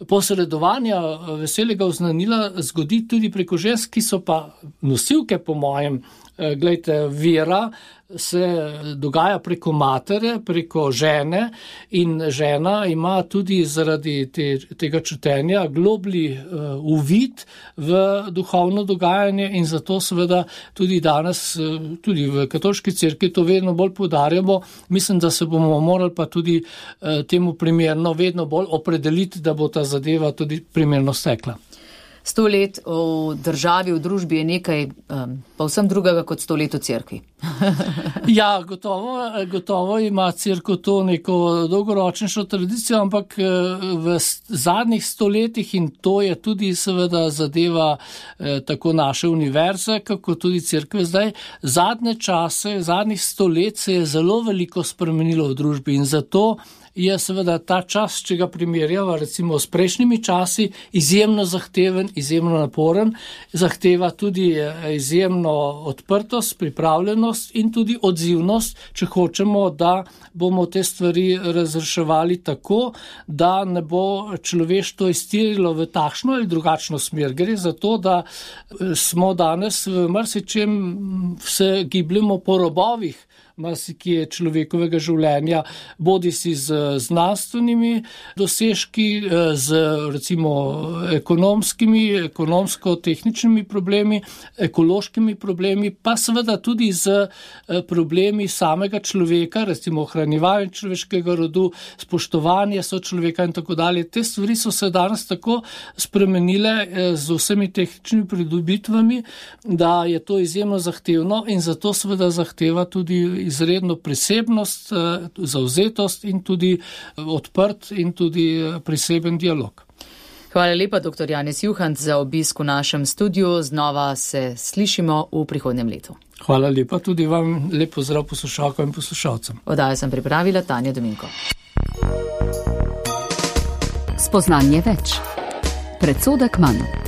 posredovanja veselega oznanila zgodi tudi preko žensk, ki so pa nosilke, po mojem, glejte, vera se dogaja preko matere, preko žene in žena ima tudi zaradi te, tega čutenja globli uh, uvid v duhovno dogajanje in zato seveda tudi danes, uh, tudi v katoliški cerkvi to vedno bolj poudarjamo. Mislim, da se bomo morali pa tudi uh, temu primerno vedno bolj opredeliti, da bo ta zadeva tudi primerno stekla. Sto let v državi, v družbi je nekaj um, povsem drugega kot sto let v cerkvi. Ja, gotovo, gotovo ima cerkev to neko dolgoročnejšo tradicijo, ampak v zadnjih stoletjih, in to je tudi seveda zadeva eh, tako naše univerze, kako tudi cerkve zdaj, zadnje čase, zadnjih sto let se je zelo veliko spremenilo v družbi in zato je seveda ta čas, če ga primerjava recimo s prejšnjimi časi, izjemno zahteven, izjemno naporen, zahteva tudi izjemno odprtost, pripravljenost in tudi odzivnost, če hočemo, da bomo te stvari razreševali tako, da ne bo človeštvo iztirilo v takšno ali drugačno smer. Gre za to, da smo danes v marsičem se gibljemo po robovih, marsikje človekovega življenja, bodi si z znanstvenimi dosežki, z recimo ekonomskimi, ekonomsko-tehničnimi problemi, ekološkimi problemi, pa seveda tudi z problemi samega človeka, recimo ohranjevanje človeškega rodu, spoštovanje sočloveka in tako dalje. Te stvari so se danes tako spremenile z vsemi tehničnimi pridobitvami, da je to izjemno zahtevno in zato seveda zahteva tudi izredno prisebnost, zavzetost in tudi odprt in tudi priseben dialog. Hvala lepa, doktor Janez Juhant, za obisk v našem studiu. Znova se slišimo v prihodnjem letu. Hvala lepa, tudi vam lep pozdrav poslušalkam in poslušalcem. Oddajo sem pripravila Tanja Dominko. Spoznanje več. Predsodek manj.